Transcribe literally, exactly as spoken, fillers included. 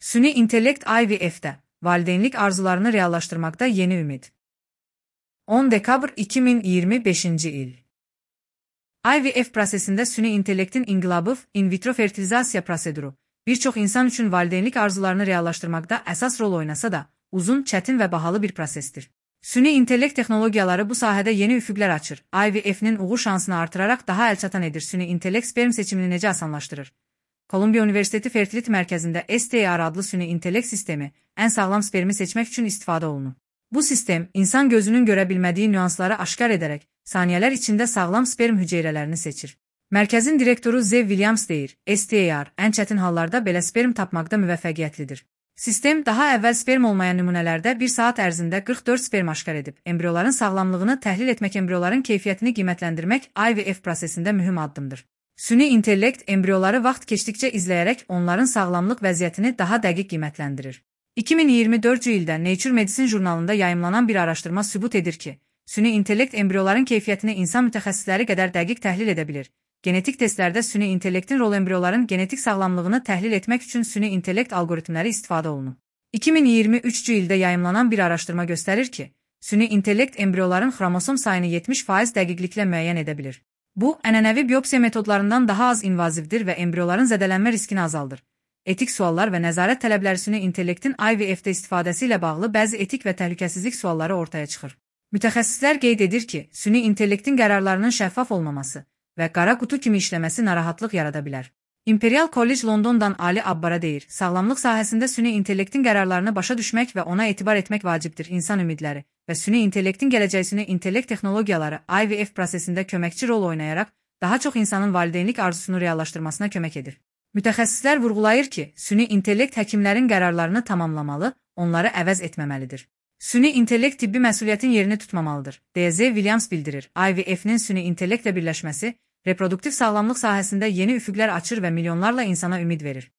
Süni intellekt I V F'də valideynlik arzularını reallaşdırmakta yeni ümid. on dekabr iki min iyirmi beşinci il. I V F prosesində süni intellektin inqilabı in vitro fertilizasiya proseduru bir çox insan üçün valideynlik arzularını reallaşdırmakta əsas rol oynasa da, uzun, çətin və bahalı bir prosesdir. Süni intellekt texnologiyaları bu sahədə yeni üfüqlər açır. I V F'nin uğur şansını artıraraq daha əlçatan edir. Süni intellekt sperm seçimini necə asanlaşdırır? Kolumbiya Universiteti Fertility Mərkəzində S T R adlı süni intellekt sistemi ən sağlam spermi seçmək üçün istifadə olunur. Bu sistem, insan gözünün görə bilmədiyi nüansları aşkar edərək, saniyələr içində sağlam sperm hüceyrələrini seçir. Mərkəzin direktoru Zev Williams deyir, S T R ən çətin hallarda belə sperm tapmaqda müvəffəqiyyətlidir. Sistem, daha əvvəl sperm olmayan nümunələrdə bir saat ərzində qırx dörd sperm aşkar edib. Embrioların sağlamlığını təhlil etmək, embrioların keyfiyyətini qiymətləndirmək I V F prosesində mühüm addımdır. Süni intellekt embrioları vaxt keçdikcə izləyərək onların sağlamlıq vəziyyətini daha dəqiq qiymətləndirir. iki min iyirmi dördüncü ildə Nature Medicine jurnalında yayımlanan bir araşdırma sübut edir ki, süni intellekt embrioların keyfiyyətini insan mütəxəssisləri qədər dəqiq təhlil edə bilir. Genetik testlərdə süni intellektin rolu embrioların genetik sağlamlığını təhlil etmək üçün süni intellekt alqoritmləri istifadə olunur. iki min iyirmi üçüncü ildə yayımlanan bir araşdırma göstərir ki, süni intellekt embrioların xromosom sayını yetmiş faiz dəqiqliklə müəyyən edə bilir. Bu, ənənəvi biopsiya metodlarından daha az invazivdir və embrioların zədələnmə riskini azaldır. Etik suallar və nəzarət tələbləri süni intellektin I V F'də istifadəsi ilə bağlı bəzi etik və təhlükəsizlik sualları ortaya çıxır. Mütəxəssislər qeyd edir ki, süni intellektin qərarlarının şəffaf olmaması və qara qutu kimi işləməsi narahatlıq yarada bilər. Imperial College Londondan Ali Abbara deyir, sağlamlıq sahəsində süni intellektin qərarlarını başa düşmək və ona etibar etmək vacibdir. İnsan ümidləri və süni intellektin gələcəyi süni intellekt texnologiyaları I V F prosesində köməkçi rol oynayaraq daha çox insanın valideynlik arzusunu reallaşdırmasına kömək edir. Mütəxəssislər vurğulayır ki, süni intellekt həkimlərin qərarlarını tamamlamalı, onları əvəz etməməlidir. Süni intellekt tibbi məsuliyyətin yerini tutmamalıdır, deyə Zev Williams bildirir. I V F'nin süni intellektlə birləşməsi reproduktiv sağlamlıq sahəsində yeni üfüqlər açır və milyonlarla insana ümid verir.